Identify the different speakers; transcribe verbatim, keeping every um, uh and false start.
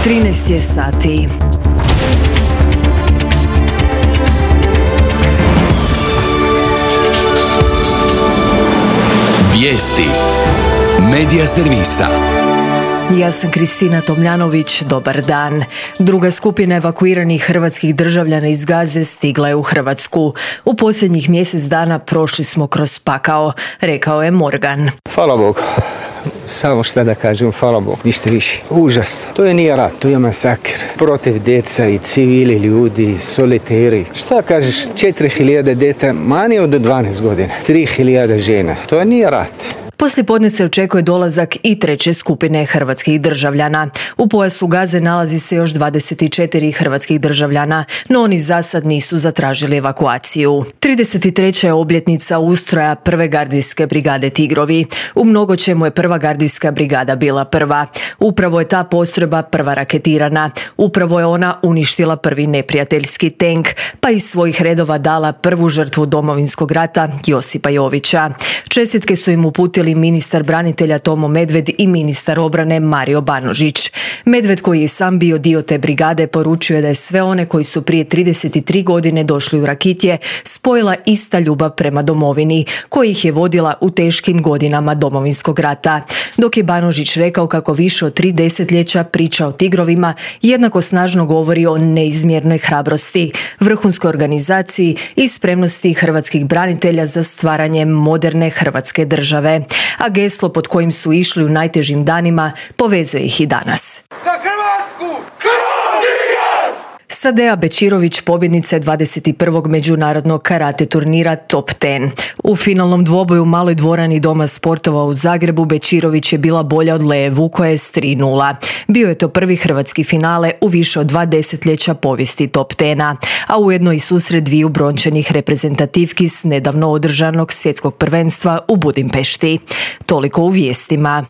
Speaker 1: trinaest je sati.
Speaker 2: Vijesti Medija servisa.
Speaker 1: Ja sam Kristina Tomljanović, dobar dan. Druga skupina evakuiranih hrvatskih državljana iz Gaze stigla je u Hrvatsku. U posljednjih mjesec dana prošli smo kroz pakao, rekao je Morgan.
Speaker 3: Hvala Bogu. Samo šta da kažem, hvala Bogu, ništa više. Užasno. To je nije rat, to je masakr. Protiv djeca i civili ljudi, soliteri. Šta kažeš, četiri hiljade djeta manje od dvanaest godina. tri hiljade žena. To je nije rat.
Speaker 1: Poslije podne se očekuje dolazak i treće skupine hrvatskih državljana. U pojasu Gaze nalazi se još dvadeset četiri hrvatskih državljana, no oni za sad nisu zatražili evakuaciju. trideset treća je obljetnica ustroja prve gardijske brigade Tigrovi. U mnogo čemu je prva gardijska brigada bila prva. Upravo je ta postrojba prva raketirana. Upravo je ona uništila prvi neprijateljski tenk, pa iz svojih redova dala prvu žrtvu Domovinskog rata, Josipa Jovića. Čestitke su im uputili ministar branitelja Tomo Medved i ministar obrane Mario Banožić. Medved, koji je sam bio dio te brigade, poručio je da je sve one koji su prije trideset tri godine došli u Rakitje spojila ista ljubav prema domovini, koja ih je vodila u teškim godinama Domovinskog rata. Dok je Banožić rekao kako više od tri desetljeća priča o Tigrovima jednako snažno govori o neizmjernoj hrabrosti, vrhunskoj organizaciji i spremnosti hrvatskih branitelja za stvaranje moderne Hrvatske države. A geslo pod kojim su išli u najtežim danima povezuje ih i danas.
Speaker 4: Za Hrvatsku!
Speaker 1: Sadea Bečirović pobjednica je dvadeset prvog međunarodnog karate turnira Top deset. U finalnom dvoboju u maloj dvorani Doma sportova u Zagrebu Bečirović je bila bolja od Lee Vukojes tri nula. Bio je to prvi hrvatski finale u više od dva desetljeća povijesti Top deset, a ujedno i susret dviju brončanih reprezentativki s nedavno održanog svjetskog prvenstva u Budimpešti. Toliko u vijestima.